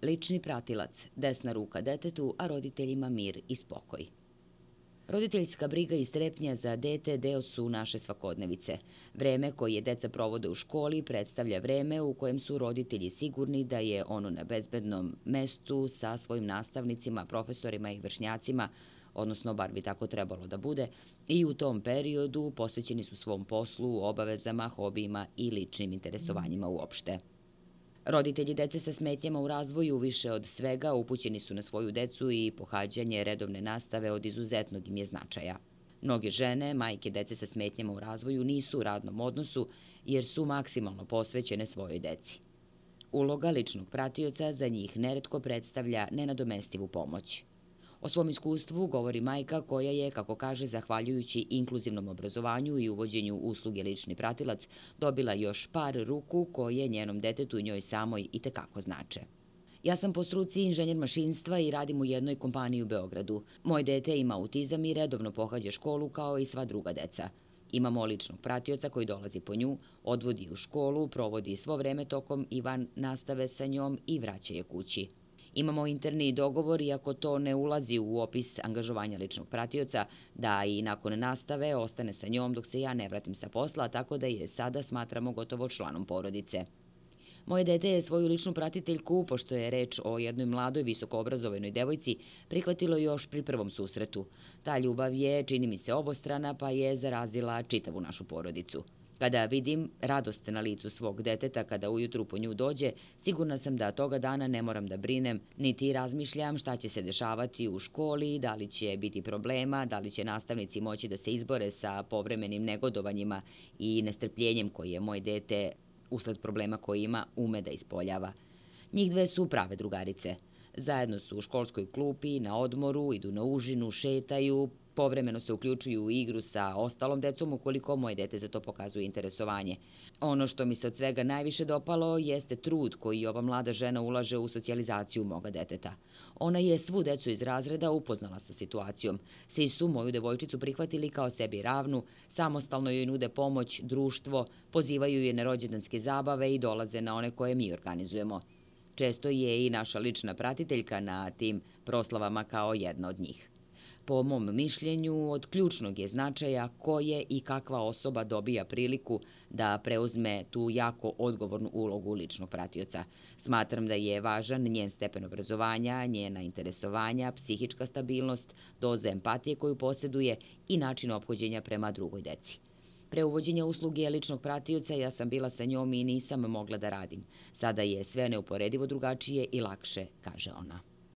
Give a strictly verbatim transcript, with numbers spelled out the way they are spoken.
Lični pratilac, desna ruka detetu, a roditeljima mir i spokoj. Roditeljska briga i strepnja za dete deo su naše svakodnevice. Vreme koje deca provode u školi predstavlja vreme u kojem su roditelji sigurni da je ono na bezbednom mestu sa svojim nastavnicima, profesorima i vršnjacima, odnosno bar bi tako trebalo da bude, i u tom periodu posvećeni su svom poslu, obavezama, hobijima i ličnim interesovanjima uopšte. Roditelji dece sa smetnjama u razvoju više od svega upućeni su na svoju decu i pohađanje redovne nastave od izuzetnog im je značaja. Mnoge žene, majke dece sa smetnjama u razvoju nisu u radnom odnosu jer su maksimalno posvećene svojoj deci. Uloga ličnog pratioca za njih neretko predstavlja nenadomestivu pomoć. O svom iskustvu govori majka koja je, kako kaže, zahvaljujući inkluzivnom obrazovanju i uvođenju usluge lični pratilac, dobila još par ruku koje njenom detetu i njoj samoj i tekako znače. Ja sam po struci inženjer mašinstva i radim u jednoj kompaniji u Beogradu. Moje dete ima autizam i redovno pohađa školu kao i sva druga deca. Imamo ličnog pratioca koji dolazi po nju, odvodi u školu, provodi svo vreme tokom i van nastave sa njom i vraća je kući. Imamo interni dogovor, iako to ne ulazi u opis angažovanja ličnog pratioca, da i nakon nastave ostane sa njom dok se ja ne vratim sa posla, tako da je sada smatramo gotovo članom porodice. Moje dete je svoju ličnu pratiteljku, pošto je reč o jednoj mladoj, visokoobrazovanoj devojci, prihvatilo još pri prvom susretu. Ta ljubav je, čini mi se, obostrana, pa je zarazila čitavu našu porodicu. Kada vidim radost na licu svog deteta kada ujutru po nju dođe, sigurna sam da toga dana ne moram da brinem, niti razmišljam šta će se dešavati u školi, da li će biti problema, da li će nastavnici moći da se izbore sa povremenim negodovanjima i nestrpljenjem koje je moje dete, usled problema koje ima, ume da ispoljava. Njih dve su prave drugarice. Zajedno su u školskoj klupi, na odmoru, idu na užinu, šetaju, povremeno se uključuju u igru sa ostalom decom ukoliko moje dete za to pokazuje interesovanje. Ono što mi se od svega najviše dopalo jeste trud koji ova mlada žena ulaže u socijalizaciju moga deteta. Ona je svu decu iz razreda upoznala sa situacijom. Svi su moju devojčicu prihvatili kao sebi ravnu, samostalno joj nude pomoć, društvo, pozivaju je na rođendanske zabave i dolaze na one koje mi organizujemo. Često je i naša lična pratiteljka na tim proslavama kao jedna od njih. Po mom mišljenju, od ključnog je značaja koje i kakva osoba dobija priliku da preuzme tu jako odgovornu ulogu ličnog pratioca. Smatram da je važan njen stepen obrazovanja, njena interesovanja, psihička stabilnost, doza empatije koju posjeduje i način ophođenja prema drugoj deci. Pre uvođenja usluge ličnog pratioca ja sam bila sa njom i nisam mogla da radim. Sada je sve neuporedivo drugačije i lakše, kaže ona.